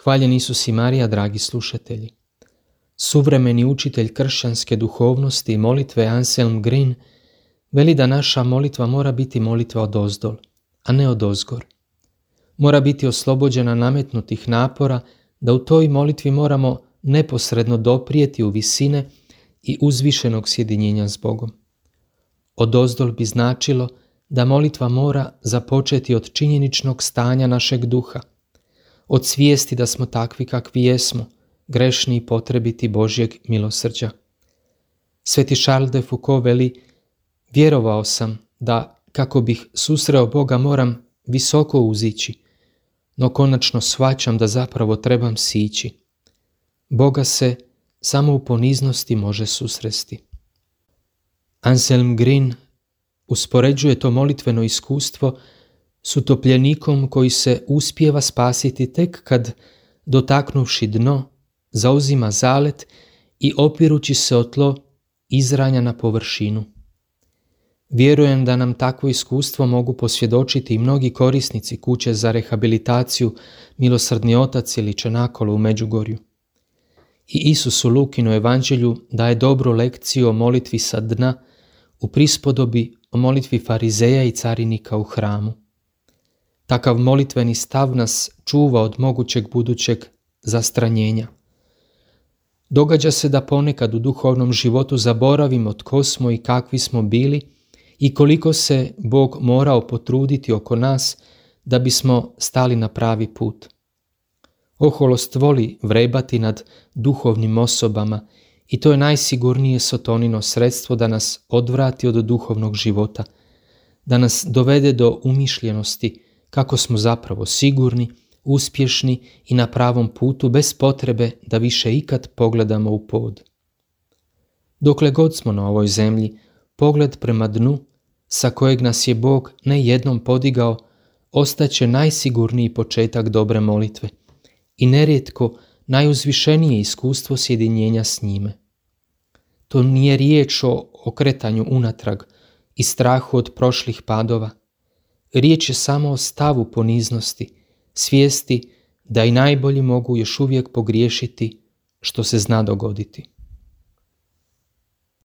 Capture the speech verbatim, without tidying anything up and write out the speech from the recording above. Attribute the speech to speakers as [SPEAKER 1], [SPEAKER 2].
[SPEAKER 1] Hvaljen Isus i Marija, dragi slušatelji. Suvremeni učitelj kršćanske duhovnosti i molitve Anselm Green veli da naša molitva mora biti molitva odozdol, a ne odozgor. Mora biti oslobođena nametnutih napora da u toj molitvi moramo neposredno doprijeti u visine i uzvišenog sjedinjenja s Bogom. Odozdol bi značilo da molitva mora započeti od činjeničnog stanja našeg duha, od svijesti da smo takvi kakvi jesmo, grešni i potrebiti Božjeg milosrđa. Sveti Charles de Foucault veli: vjerovao sam da kako bih susreo Boga moram visoko uzići, no konačno shvaćam da zapravo trebam sići. Boga se samo u poniznosti može susresti. Anselm Green uspoređuje to molitveno iskustvo s utopljenikom koji se uspijeva spasiti tek kad, dotaknuvši dno, zauzima zalet i opirući se o tlo izranja na površinu. Vjerujem da nam takvo iskustvo mogu posvjedočiti i mnogi korisnici kuće za rehabilitaciju Milosrdni otac ili Čenakolo u Međugorju. I Isus u Lukinu evanđelju daje dobru lekciju o molitvi sa dna u prispodobi o molitvi farizeja i carinika u hramu. Takav molitveni stav nas čuva od mogućeg budućeg zastranjenja. Događa se da ponekad u duhovnom životu zaboravimo tko smo i kakvi smo bili i koliko se Bog morao potruditi oko nas da bismo stali na pravi put. Oholost voli vrebati nad duhovnim osobama i to je najsigurnije sotonino sredstvo da nas odvrati od duhovnog života, da nas dovede do umišljenosti kako smo zapravo sigurni, uspješni i na pravom putu bez potrebe da više ikad pogledamo u pod. Dokle god smo na ovoj zemlji, pogled prema dnu sa kojeg nas je Bog ne jednom podigao ostaće najsigurniji početak dobre molitve i nerijetko najuzvišenije iskustvo sjedinjenja s njime. To nije riječ o okretanju unatrag i strahu od prošlih padova. Riječ je samo o stavu poniznosti, svijesti da i najbolji mogu još uvijek pogriješiti, što se zna dogoditi.